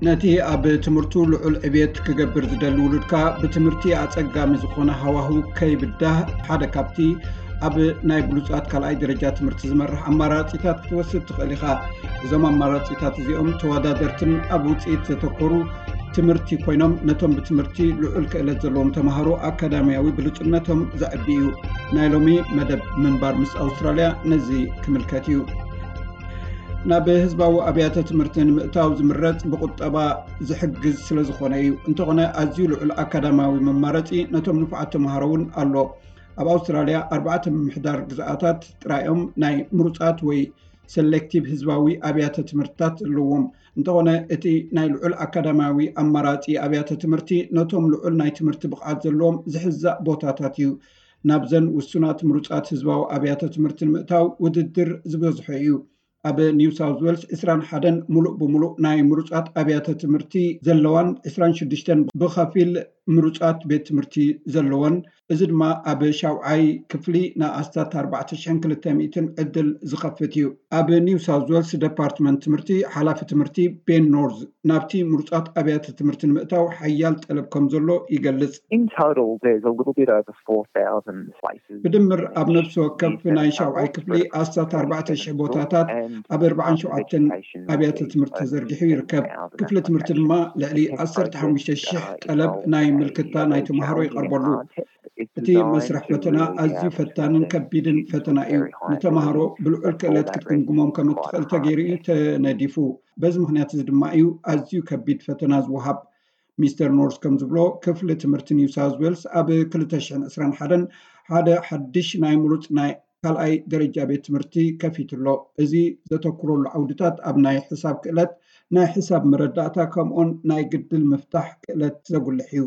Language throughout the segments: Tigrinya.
ነቲ ኣብ ትምህርቱ ልዑል ዕብየት ክገብር ዝደሊ ውሉድካ፣ ብትምህርቲ ኣጸጋሚ ዝኾነ ሃዋህው ከይብዳህ፣ ሓደ ካብቲ ኣብ ናይ ብሉጻት ካልኣይ ደረጃ ትምህርቲ ዝመርሕ ኣማራጺታት ክትወስድ ትኽእል ኢኻ። እዞም ኣማራጺታት እዚኦም ተወዳደርትን ኣብ ውጽኢት ዘተኮሩ ትምህርቲ ኮይኖም፣ ነቶም ብትምህርቲ ልዑል ክእለት ዘለዎም ተማሃሮ ኣካዳሚያዊ ብሉጽነቶም ዘዕቢ እዩ። ናይ ሎሚ መደብ ምንባር ምስ ኣውስትራልያ ነዚ ክምልከት እዩ። ናብ ህዝባዊ ኣብያተ ትምህርቲ ንምእታው ዝምረጽ ብቁጠባ ዝሕግዝ ስለ ዝኾነ እዩ። እንተኾነ፣ ኣዝዩ ልዑል ኣካዳሚያዊ መማረጺ ነቶም ንፉዓት ተምሃሮ እውን ኣሎ። ኣብ ኣውስትራልያ ኣርባዕተ ምምሕዳር ግዝኣታት ጥራዮም ናይ ምሩጻት ወይ ሰሌክቲቭ ህዝባዊ ኣብያተ ትምህርትታት ኣለዎም። እንተኾነ፣ እቲ ናይ ልዑል ኣካዳሚያዊ ኣማራጺ ኣብያተ ትምህርቲ ነቶም ልዑል ናይ ትምህርቲ ብቕዓት ዘለዎም ዝሕዛእ ቦታታት እዩ። ናብዘን ውሱናት ምሩጻት ህዝባዊ ኣብያተ ትምህርቲ ንምእታው ውድድር ዝበዝሖ እዩ። ኣብ ኒው ሳውዝ ዌልስ ዕስራን ሓደን ምሉእ ብምሉእ ናይ ምሩጻት ኣብያተ ትምህርቲ ዘለዋን ዕስራን ሽዱሽተን ብኸፊል ምሩጻት ቤት ትምህርቲ ዘለወን፣ እዚ ድማ ኣብ ሻውዓይ ክፍሊ ንኣስታት ኣርባዕተ ሽሕን ክልተ ሚእትን ዕድል ዝኸፍት እዩ። ኣብ ኒው ሳውዝ ዌልስ ደፓርትመንት ትምህርቲ ሓላፊ ትምህርቲ ቤን ኖርዝ ናብቲ ምሩጻት ኣብያተ ትምህርቲ ንምእታው ሓያል ጠለብ ከም ዘሎ ይገልጽ። In total, there's a little bit over four thousand places. ብድምር ኣብ ነፍሲ ወከፍ ናይ ሻውዓይ ክፍሊ ኣስታት ኣርባዕተ ሽሕ ቦታታት ኣብ ኣርባዓን ሸውዓተን ኣብያተ ትምህርቲ ተዘርጊሑ ይርከብ። ክፍሊ ትምህርቲ ድማ ልዕሊ ዓሰርተ ሓሙሽተ ሽሕ ጠለብ ናይ ምልክታ ናይ ተምሃሮ ይቐርበሉ። እቲ መስርሕ ፈተና ኣዝዩ ፈታንን ከቢድን ፈተና እዩ። ንተምሃሮ ብልዑል ክእለት ክትግምግሞም ከም እትኽእል ተገይሩ እዩ ተነዲፉ። በዚ ምኽንያት እዚ ድማ እዩ ኣዝዩ ከቢድ ፈተና ዝወሃብ። ሚስተር ኖርስ ከም ዝብሎ፣ ክፍሊ ትምህርቲ ኒው ሳውዝ ዌልስ ኣብ ክልተ ሽሕን ዕስራን ሓደን ሓደ ሓድሽ ናይ ምሩጽ ናይ ካልኣይ ደረጃ ቤት ትምህርቲ ከፊቱ ኣሎ። እዚ ዘተኩረሉ ዓውድታት ኣብ ናይ ሕሳብ ክእለት፣ ናይ ሕሳብ መረዳእታ፣ ከምኡን ናይ ግድል ምፍታሕ ክእለት ዘጉልሕ እዩ።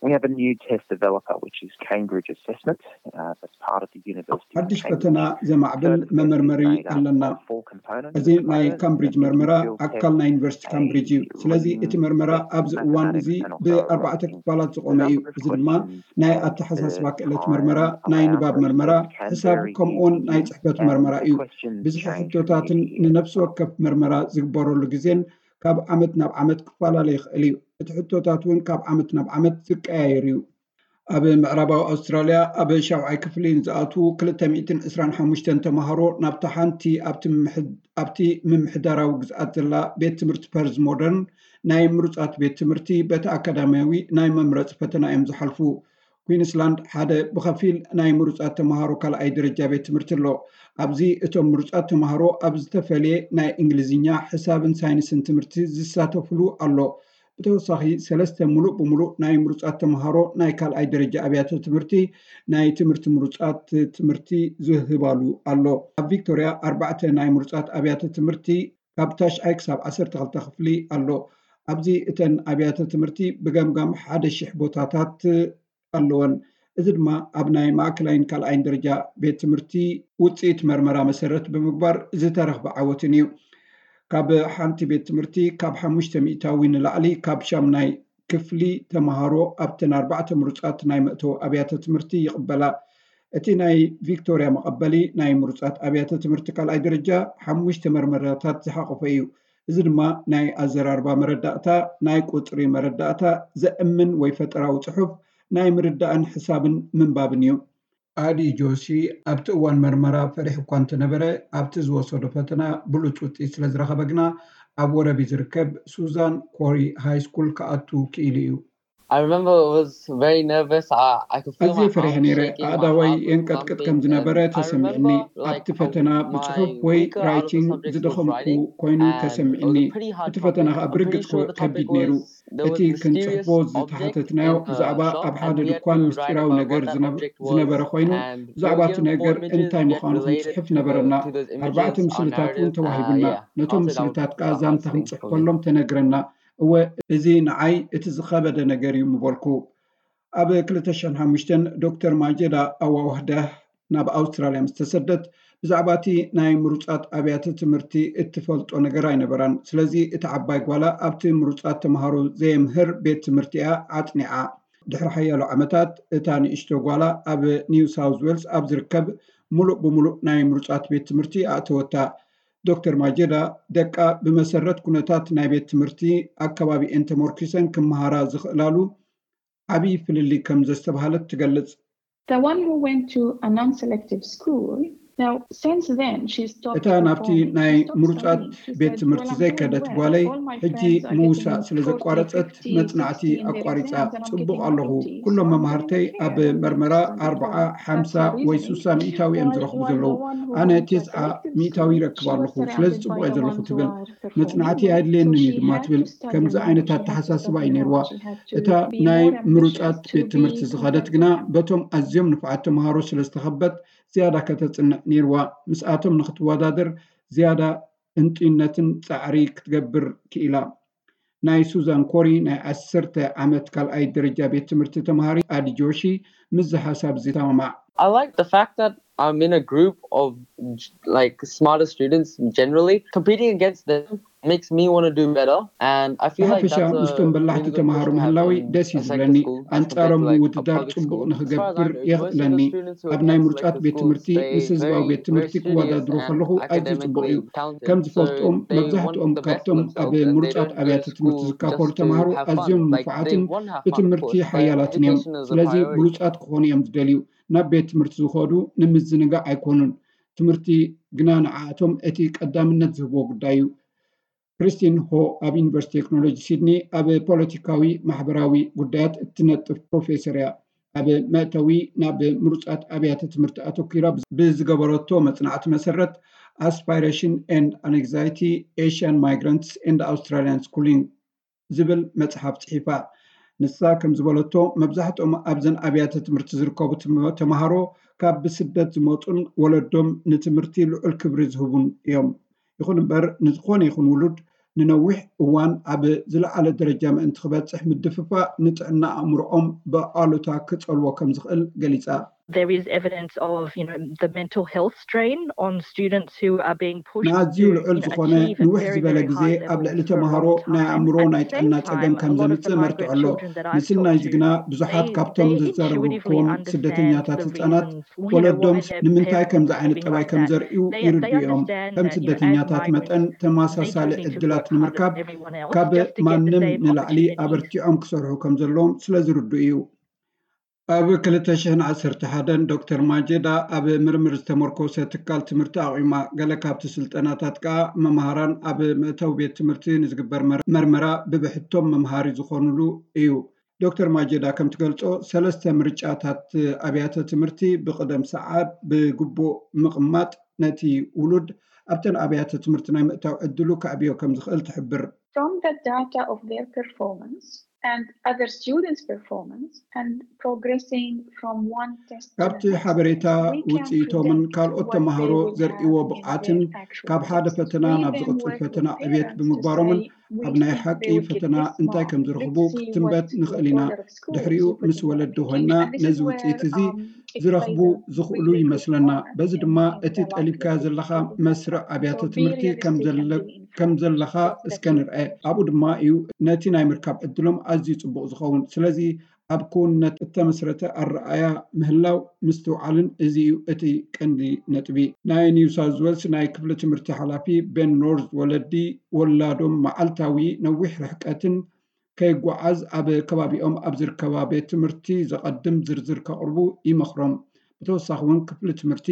We have a new test developer, which is Cambridge Assessment, uh, that's part of the University of ሓድሽ Cambridge. ፈተና ዘማዕብል መመርመሪ ኣለና። እዚ ናይ ካምብሪጅ መርመራ ኣካል ናይ ዩኒቨርሲቲ ካምብሪጅ እዩ። ስለዚ እቲ መርመራ ኣብዚ እዋን እዚ ብኣርባዕተ ክፋላት ዝቖመ እዩ። እዚ ድማ ናይ ኣተሓሳስባ ክእለት መርመራ፣ ናይ ንባብ መርመራ፣ ሕሳብ፣ ከምኡውን ናይ ጽሕፈት መርመራ እዩ። ብዝሒ ሕቶታትን ንነፍሲ ወከፍ መርመራ ዝግበረሉ ግዜን ካብ ዓመት ናብ ዓመት ክፈላለ ይኽእል እዩ። እቲ ሕቶታት እውን ካብ ዓመት ናብ ዓመት ዝቀያየር እዩ። ኣብ ምዕራባዊ ኣውስትራልያ ኣብ ሻውዓይ ክፍሊ ንዝኣትዉ ክልተ ሚእትን ዕስራን ሓሙሽተን ተምሃሮ ናብታ ሓንቲ ኣብቲ ምምሕድ-፣ ኣብቲ ምምሕዳራዊ ግዝኣት ዘላ ቤት ትምህርቲ ፐርዝ ሞደርን ናይ ምሩጻት ቤት ትምህርቲ በቲ ኣካዳሚያዊ ናይ መምረጺ ፈተና እዮም ዝሓልፉ። ኩዊንስላንድ ሓደ ብኸፊል ናይ ምሩጻት ተምሃሮ ካልኣይ ደረጃ ቤት ትምህርቲ ኣሎ። ኣብዚ እቶም ምሩጻት ተምሃሮ ኣብ ዝተፈልየ ናይ እንግሊዝኛ፣ ሕሳብን ሳይንስን ትምህርቲ ዝሳተፍሉ ኣሎ። ብተወሳኺ፣ ሰለስተ ምሉእ ብምሉእ ናይ ምሩጻት ተምሃሮ ናይ ካልኣይ ደረጃ ኣብያተ ትምህርቲ ናይ ትምህርቲ ምሩጻት ትምህርቲ ዝህባሉ ኣሎ። ኣብ ቪክቶርያ ኣርባዕተ ናይ ምሩጻት ኣብያተ ትምህርቲ ካብ ታሽዓይ ክሳብ ዓሰርተ ክልተ ክፍሊ ኣሎ። ኣብዚ እተን ኣብያተ ትምህርቲ ብገምጋም ሓደ ሽሕ ቦታታት ኣለወን። እዚ ድማ ኣብ ናይ ማእከላይን ካልኣይን ደረጃ ቤት ትምህርቲ ውጽኢት መርመራ መሰረት ብምግባር ዝተረኽበ ዓወትን እዩ። ካብ ሓንቲ ቤት ትምህርቲ ካብ ሓሙሽተ ሚእታዊ ንላዕሊ ካብ ሻምናይ ክፍሊ ተምሃሮ ኣብተን ኣርባዕተ ምሩጻት ናይ መእተዊ ኣብያተ ትምህርቲ ይቕበላ። እቲ ናይ ቪክቶርያ መቐበሊ ናይ ምሩጻት ኣብያተ ትምህርቲ ካልኣይ ደረጃ ሓሙሽተ መርመራታት ዝሓቖፈ እዩ። እዚ ድማ ናይ ኣዘራርባ መረዳእታ፣ ናይ ቁጽሪ መረዳእታ፣ ዘእምን ወይ ፈጠራዊ ጽሑፍ፣ ናይ ምርዳእን ሕሳብን ምንባብን እዩ። ኣዲ ጆሲ ኣብቲ እዋን መርመራ ፈሪሑ እኳ እንተነበረ፣ ኣብቲ ዝወሰዶ ፈተና ብሉጽ ውጽኢት ስለ ዝረኸበ ግና ኣብ ወረቢ ዝርከብ ሱዛን ኮሪ ሃይ ስኩል ክኣቱ ክኢሉ እዩ። I remember I was very nervous. I, I could feel ኣዝየ my ፈሪሐ arms ነይረ። shaking, my ኣእዳወይ heart was የንቀጥቅጥ pumping, ከም ዝነበረ and I ተሰሚዕኒ። remember, like, ኣብቲ ፈተና my ብጽሑፍ ወይ weaker out of the ራይቲንግ subjects was ዝደኸምኩ writing, ኮይኑ and it was ተሰሚዕኒ። A pretty hard እቲ ፈተና topic. ከኣ I'm ብርግጽ pretty sure the ከቢድ topic ነይሩ። Was there was እቲ this mysterious ክንጽሕፎ object ዝተሓተትናዮ in the ብዛዕባ shop, ኣብ ሓደ and we had to ድኳን be right ምስጢራዊ about ነገር what that ዝነብ-፣ object was, ዝነበረ ኮይኑ፣ and ብዛዕባ እቲ ነገር እንታይ ምዃኑ ክንጽሕፍ ነበረና። ኣርባዕተ ምስልታት እውን ተዋሂቡና። ነቶም ምስልታት ከኣ ዛንታ ክንጽሕፈሎም ተነግረና። እወ፣ እዚ ንዓይ እቲ ዝኸበደ ነገር እዩ ምበልኩ። ኣብ ክልተ ሽሕን ሓሙሽተን ዶክተር ማጀዳ ኣዋዋህዳህ ናብ ኣውስትራልያ ምስ ተሰደት፣ ብዛዕባ እቲ ናይ ምሩጻት ኣብያተ ትምህርቲ እትፈልጦ ነገር ኣይነበራን። ስለዚ እታ ዓባይ ጓላ ኣብቲ ምሩጻት ተምሃሮ ዘየምህር ቤት ትምህርቲ እያ ኣጽኒዓ። ድሕሪ ሓያሎ ዓመታት፣ እታ ንእሽቶ ጓላ ኣብ ኒው ሳውዝ ዌልስ ኣብ ዝርከብ ምሉእ ብምሉእ ናይ ምሩጻት ቤት ትምህርቲ ኣእተወታ። ዶክተር ማጀዳ፣ ደቃ ብመሰረት ኩነታት ናይ ቤት ትምህርቲ ኣከባቢኤን ተመርኪሰን ክመሃራ ዝኽእላሉ ዓብዪ ፍልልይ ከም ዘስተብሃለት ትገልጽ። The one who went to a non-selective school, now since then she's stopped እታ ናብቲ performing. ናይ She stopped ምሩጻት studying. She ቤት said, ትምህርቲ "Well, I'm doing ዘይከደት well. ጓለይ All my ሕጂ friends are ምውሳ getting ስለ forty, ዘቋረጸት fifty, መጽናዕቲ sixty in their ኣቋሪጻ exams, and I'm ጽቡቕ getting ኣለኹ። forty. So ኩሎም I'm መምሃርተይ doing okay. ኣብ I'm doing መርመራ excellent. ኣርብዓ That's ሓምሳ her ወይ reasoning. ሱሳ ሚእታዊ እዮም While, ዝረኽቡ while ዘለዉ። the one who ኣነ went to a ቴስዓ selective ሚእታዊ school, ይረክብ she was ኣለኹ። ስለዚ surrounded ጽቡቕ by እየ the ዘለኹ ones who ትብል። are performing መጽናዕቲ well. ኣየድልየንን So እዩ she ድማ had ትብል። to start ከምዚ her ዓይነት work. She had to ኣተሓሳስባ stop እዩ her ነይርዋ። work. She had to እታ be ናይ more ambitious ምሩጻት to ቤት be ትምህርቲ part ዝኸደት of ግና that. በቶም ኣዝዮም ንፉዓት ተምሃሮ ስለ ዝተኸበት ዝያዳ ከተጽንዕ ነይርዋ። ምስኣቶም ንክትወዳደር ዝያዳ እንጥዩነትን ጻዕሪ ክትገብር ክኢላ። ናይ ሱዛን ኮሪ ናይ ዓሰርተ ዓመት ካልኣይ ደረጃ ቤት ትምህርቲ ተምሃሪ ኣዲ ጆሺ ምስዚ ሓሳብ እዚ ተማማዕ። I like the fact that I'm in a group of like smarter students generally. Competing against them makes me want to do better, and I feel like ብሓፈሻ that's a ምስቶም በላሕቲ really good ተምሃሮ push to have ምህላወይ in ደስ እዩ a sector ዝብለኒ። School as ኣንጻሮም compared to like a ምውድዳር public ጽቡቕ school. As far as I ንክገብር know, most of የኽእለኒ። the students who ኣብ ናይ attend ምሩጻት selective ቤት schools, ትምህርቲ they ምስ ህዝባዊ very, ቤት ትምህርቲ very ክወዳድሩ studious ከለኹ and ኣዝዩ ጽቡቕ እዩ። academically talented. ከም So ዝፈልጦም they want መብዛሕትኦም the best for ካብቶም themselves, ኣብ and they ምሩጻት don't go ኣብያተ to ትምህርቲ school ዝካፈሉ just to ተምሃሮ have fun. ኣዝዮም Like, they ንፉዓትን want to have fun, of ብትምህርቲ course, but ሓያላትን እዮም። education is a ስለዚ priority. ብሉጻት ክኾኑ እዮም ዝደልዩ። ናብ ቤት ትምህርቲ ዝኸዱ ንምዝንጋዕ ኣይኮኑን። ትምህርቲ ግና ንዓኣቶም እቲ ቀዳምነት ዝህብዎ ጉዳይ እዩ። ክሪስቲን ሆ ኣብ ዩኒቨርሲቲ ቴክኖሎጂ ሲድኒ ኣብ ፖለቲካዊ ማሕበራዊ ጉዳያት እትነጥፍ ፕሮፌሰር እያ። ኣብ መእተዊ ናብ ምሩጻት ኣብያተ ትምህርቲ ኣተኲራ ብዝገበረቶ መጽናዕቲ መሰረት፣ Aspiration and Anxiety: Asian Migrants and Australian Schooling ዝብል መጽሓፍ ጽሒፋ። ንሳ ከም ዝበለቶ፣ መብዛሕትኦም ኣብዘን ኣብያተ ትምህርቲ ዝርከቡ ተምሃሮ ካብ ብስደት ዝመጹን ወለዶም ንትምህርቲ ልዑል ክብሪ ዝህቡን እዮም። ይኹን እምበር፣ ንዝኾነ ይኹን ውሉድ ንነዊሕ እዋን ኣብ ዝለዓለ ደረጃ ምእንቲ ክበጽሕ ምድፍፋእ ንጥዕና ኣእምሮኦም ብኣሉታ ክጸልዎ ከም ዝኽእል ገሊጻ። There is evidence of, you know, the mental health strain on students who are being pushed ንኣዝዩ to, ልዑል you know, ዝኾነ achieve at ንውሕ very, ዝበለ very ግዜ high ኣብ levels ልዕሊ for a ተምሃሮ long ናይ time. ኣእምሮ And ናይ at the ጥዕና same ጸገም time, ከም a lot of the ዘምጽእ መርትዖ ኣሎ። migrant children that I've ምስናይ talked እዚ to, ግና ብዙሓት they, ካብቶም they ዝዛረቡ intuitively ክዎም understand ስደተኛታት the reason, ህጻናት you know, why ወለዶምስ their ንምንታይ parents ከምዚ are ዓይነት living ጠባይ like ከም that. ዘርእዩ They, ይርዱ they እዮም። understand ከም that, you know, as a ስደተኛታት migrant, መጠን they ተመሳሳሊ just need to ዕድላት work harder ንምርካብ than everyone else ካብ just to get the ማንም same ንላዕሊ opportunities. ኣበርቲዖም ክሰርሑ ከም ዘለዎም ስለ ዝርዱ እዩ። ኣብ ክልተ ሽሕን ዓሰርተ ሓደን ዶክተር ማጀዳ ኣብ ምርምር ዝተመርኮሰ ትካል ትምህርቲ ኣቑማ። ገለ ካብቲ ስልጠናታት ከኣ መምሃራን ኣብ መእተዊ ቤት ትምህርቲ ንዝግበር መር-፣ መርመራ ብብሕቶም መምሃሪ ዝኾኑሉ እዩ። ዶክተር ማጀዳ ከም ትገልጾ፣ ሰለስተ ምርጫታት ኣብያተ ትምህርቲ ብቕደም ሰዓብ ብግቡእ ምቕማጥ ነቲ ውሉድ ኣብተን ኣብያተ ትምህርቲ ናይ ምእታው ዕድሉ ከዕብዮ ከም ዝኽእል ትሕብር። From the data of their performance and other students' performance and progressing from one test to the ካብቲ next, ሓበሬታ we can ውጽኢቶምን predict ካልኦት what they ተምሃሮ will ዘርእይዎ have in ብቕዓትን their actual ካብ ሓደ tests. ፈተና We ናብ then ዝቕጽል work ፈተና with ዕብየት parents to ብምግባሮምን say, we ኣብ ናይ think ሓቂ they will get ፈተና this እንታይ mark. ከም ዝረኽቡ Let's see ክትንበት what, ንኽእል what ኢና። order of schools ድሕሪኡ you put ምስ them ወለዲ in. ኮይንና And this ነዚ is where, ውጽኢት እዚ um, ዝረኽቡ exercises ዝኽእሉ really ይመስለና። important. በዚ ድማ Exercises እቲ that are ጠሊብካ critical ዘለኻ for the መስርዕ success. ኣብያተ So ትምህርቲ realistic ከም and ዘለ-፣ be in ከም front ዘለኻ of the እስከ class. ንርአ። ኣብኡ ድማ እዩ ነቲ ናይ ምርካብ ዕድሎም ኣዝዩ ጽቡቕ ዝኸውን። ስለዚ ኣብ ክውንነት እተመስረተ ኣረኣእያ ምህላው ምስትውዓልን እዚ እዩ እቲ ቀንዲ ነጥቢ። ናይ ኒው ሳውዝ ዌልስ ናይ ክፍሊ ትምህርቲ ሓላፊ ቤን ኖርዝ፣ ወለዲ ወላዶም መዓልታዊ ነዊሕ ርሕቀትን ከይጓዓዝ ኣብ ከባቢኦም ኣብ ዝርከባ ቤት ትምህርቲ ዘቐድም ዝርዝር ከቕርቡ ይመኽሮም። ብተወሳኺ እውን ክፍሊ ትምህርቲ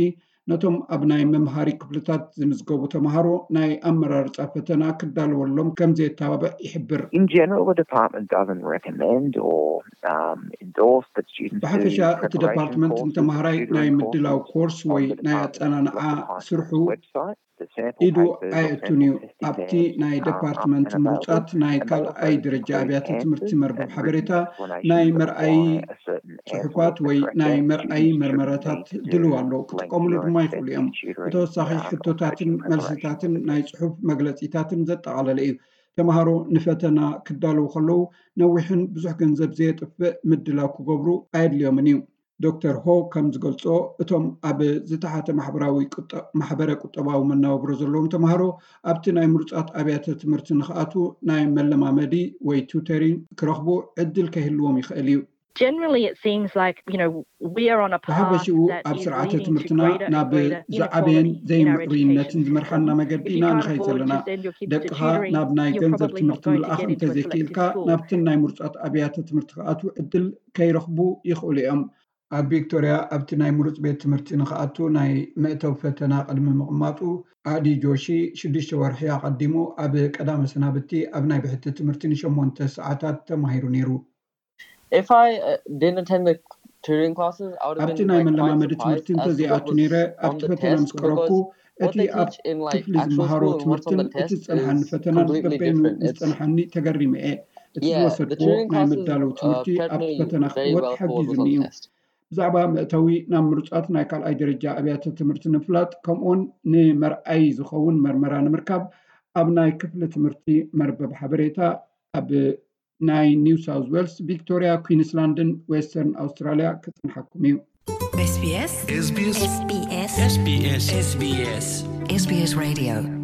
ነቶም ኣብ ናይ መምሃሪ ክፍልታት ዝምዝገቡ ተምሃሮ ናይ ኣመራርጻ ፈተና ክዳለወሎም ከም ዘየተባብዕ ይሕብር። In general, the department doesn't recommend or um, endorse that students do ብሓፈሻ እቲ preparation ደፓርትመንት courses, ንተምሃራይ ናይ tutoring ምድላው courses ኮርስ on ወይ the ናይ department's ኣጸናንዓ website. ስርሑ The sample ኢዱ papers or ኣየእቱን sample እዩ። testing ኣብቲ pairs ናይ are up ደፓርትመንት and ምሩጻት available, ናይ and they ካልኣይ also ደረጃ include ኣብያተ ትምህርቲ answers መርበብ and ሓበሬታ written explanations ናይ of መርኣዪ why a certain answer was ጽሑፋት the ወይ correct ናይ answer. መርኣዪ Students shouldn't መርመራታት need to ድልው ኣሎ። lengthy ክጥቀምሉ or ድማ ይኽእሉ እዮም። extensive tutoring ብተወሳኺ um, ሕቶታትን approach in preparation መልስታትን for ናይ ጽሑፍ መግለጺታትን ዘጠቓለለ እዩ። ተምሃሮ ንፈተና ክዳለዉ ከለዉ ነዊሕን ብዙሕ ገንዘብ ዘየጥፍእ ምድላው ክገብሩ ኣየድልዮምን እዩ። ዶክተር ሆ ከም ዝገልጾ፣ እቶም ኣብ ዝተሓተ ማሕበራዊ ቁጠ-፣ ማሕበረ ቁጠባዊ መነባብሮ ዘለዎም ተምሃሮ ኣብቲ ናይ ምሩጻት ኣብያተ ትምህርቲ ንኽኣትዉ ናይ መለማመዲ ወይ ቱተሪንግ ክረኽቡ ዕድል ከይህልዎም ይኽእል እዩ። Generally, it seems like, you know, we are on a path ብሓፈሽኡ ኣብ ስርዓተ ትምህርትና ናብ ዝዓበየን ዘይምዕሩይነትን ዝመርሓና መገዲ ኢና ንኸይድ ዘለና። ደቅኻ ናብ ናይ ገንዘብ ትምህርቲ ምልኣኽ እንተዘይክኢልካ፣ ናብትን ናይ ምሩፃት ኣብያተ ትምህርቲ ክኣትዉ ዕድል ከይረኽቡ ይኽእሉ እዮም። ኣብ ቪክቶርያ ኣብቲ ናይ ምሩፅ ቤት ትምህርቲ ንኽኣቱ ናይ መእተዊ ፈተና ቅድሚ ምቕማጡ፣ ኣዲ ጆሺ ሽዱሽተ ወርሒ ኣቐዲሙ ኣብ ቀዳመ ሰናብቲ ኣብ ናይ ብሕቲ ትምህርቲ ንሸሞንተ ሰዓታት ተማሂሩ ነይሩ። If I uh, didn't attend the tutoring classes, I would have ኣብቲ been ናይ like, quite መለማመዲ surprised ትምህርቲ as to what እንተዘይኣቱ was ነይረ፣ on ኣብቲ the ፈተና test ምስ ቀረብኩ because what እቲ they ኣብ teach in like ክፍሊ actual ዝመሃሮ school and what's on ትምህርትን the እቲ test ዝጸንሓኒ is ፈተናን completely በበይኑ different. ምስ It's ጸንሓኒ ተገሪመ እየ። እቲ yeah, the ዝወሰድክዎ tutoring ናይ classes መዳለዊ uh, ትምህርቲ prepped ኣብቲ me ፈተና very ክዕወት well for what was ሓጊዙኒ on the እዩ። Test. ብዛዕባ መእተዊ ናብ ምሩጻት ናይ ካልኣይ ደረጃ ኣብያተ ትምህርቲ ንምፍላጥ፣ ከምኡውን ንመርኣይ ዝኸውን መርመራ ንምርካብ፣ ኣብ ናይ ክፍሊ ትምህርቲ መርበብ ሓበሬታ ኣብ ናይ ኒው ሳውዝ ዌልስ፣ ቪክቶርያ፣ ኩዊንስላንድን ዌስተርን ኣውስትራልያ ክጽንሓኩም እዩ። SBS SBS SBS SBS SBS Radio